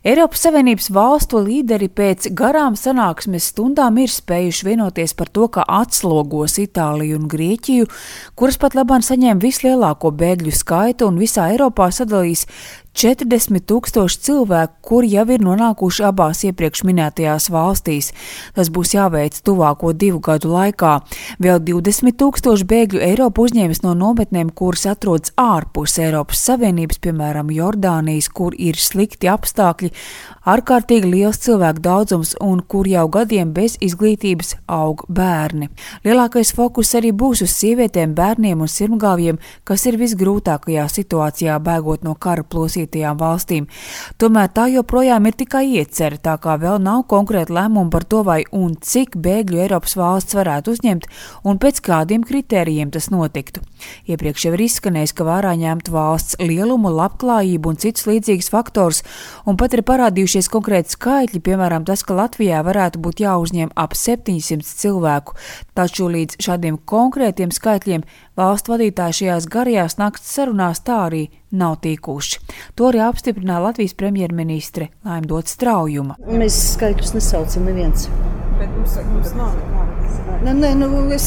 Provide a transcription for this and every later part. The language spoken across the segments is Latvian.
Eiropas Savienības valstu līderi pēc garām sanāksmes stundām ir spējuši vienoties par to, ka atslogos Itāliju un Grieķiju, kuras pat labāk saņēma vislielāko bēgļu skaitu un visā Eiropā sadalīs 40,000 cilvēku, kuri jau ir nonākuši abās iepriekš minētajās valstīs. Tas būs jāveic tuvāko 2 gadu laikā. Vēl 20,000 bēgļu Eiropa uzņēmis no nometnēm, kuras atrodas ārpus Eiropas Savienības, piemēram, Jordānijas, kur ir slikti apstākļi, ārkārtīgi liels cilvēku daudzums un kur jau gadiem bez izglītības aug bērni. Lielākais fokus arī būs uz sievietēm, bērniem un sirmgalviem, kas ir visgrūtākajā situācijā bēgot no kara plosītajām valstīm. Tomēr tā joprojām ir tikai iecere, tā kā vēl nav konkrēta lēmuma par to, vai un cik bēgļu Eiropas valsts varētu uzņemt un pēc kādiem kritērijiem tas notiktu. Iepriekš jau ir izskanējis, ka vērā ņemtu valsts lielumu, labklājību un citus līdzīgus faktors, un pat ir parādījušies konkrēti skaitļi, piemēram, tas, ka Latvijā varētu būt jāuzņem ap 700 cilvēku, taču līdz šādiem konkrētiem skaitļiem valstu vadītāji šajās garajās nakts sarunās tā arī nav tikuši. To arī apstiprināja Latvijas premjerministre Laime Dots Straujuma. Mēs skaitļus nesaucam neviens. Bet mums nav. Es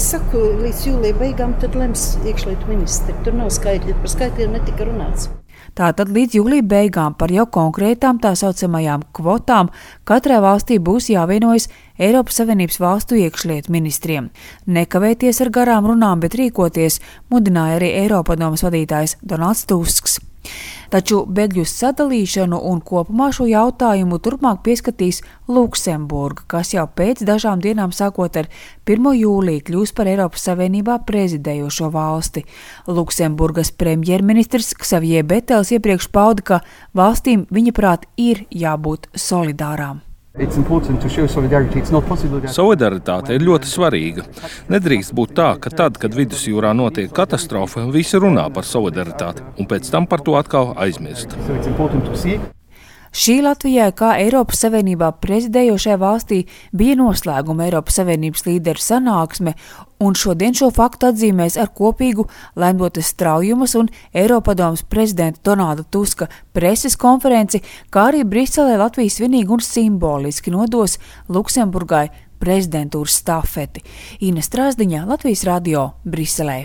saku, līdz jūlija beigām tad lems iekšlietu ministri. Tur nav skaitļi, par skaitļiem netika runāts. Tātad līdz jūlija beigām par jau konkrētām tā saucamajām kvotām katrai valstī būs jāvienojas Eiropas Savienības valstu iekšlietu ministriem. Nekavēties ar garām runām, bet rīkoties, mudināja arī Eiropadomes vadītājs Donalds Tusks. Taču bēgļu sadalīšanu un kopumā šo jautājumu turpmāk pieskatīs Luksemburga, kas jau pēc dažām dienām sākot ar 1. jūliju kļūs par Eiropas Savienībā prezidējošo valsti. Luksemburgas premjerministrs Xavier Betels iepriekš pauda, ka valstīm viņa prāt ir jābūt solidārām. Solidaritāte ir ļoti svarīga. Nedrīkst būt tā, ka tad, kad vidusjūrā notiek katastrofa, visi runā par solidaritāti un pēc tam par to atkal aizmirst. Šī Latvijai, kā Eiropas Savienībā prezidējošajā valstī, bija noslēguma Eiropas Savienības līderu sanāksme, un šodien šo faktu atzīmēs ar kopīgu Laime Dotas Straujumas un Eiropadomes prezidenta Donalda Tuska preses konferenci, kā arī Briselē Latvijas svinīgi un simboliski nodos Luksemburgai prezidentūras stafeti. Ina Strāzdiņa, Latvijas radio, Briselē.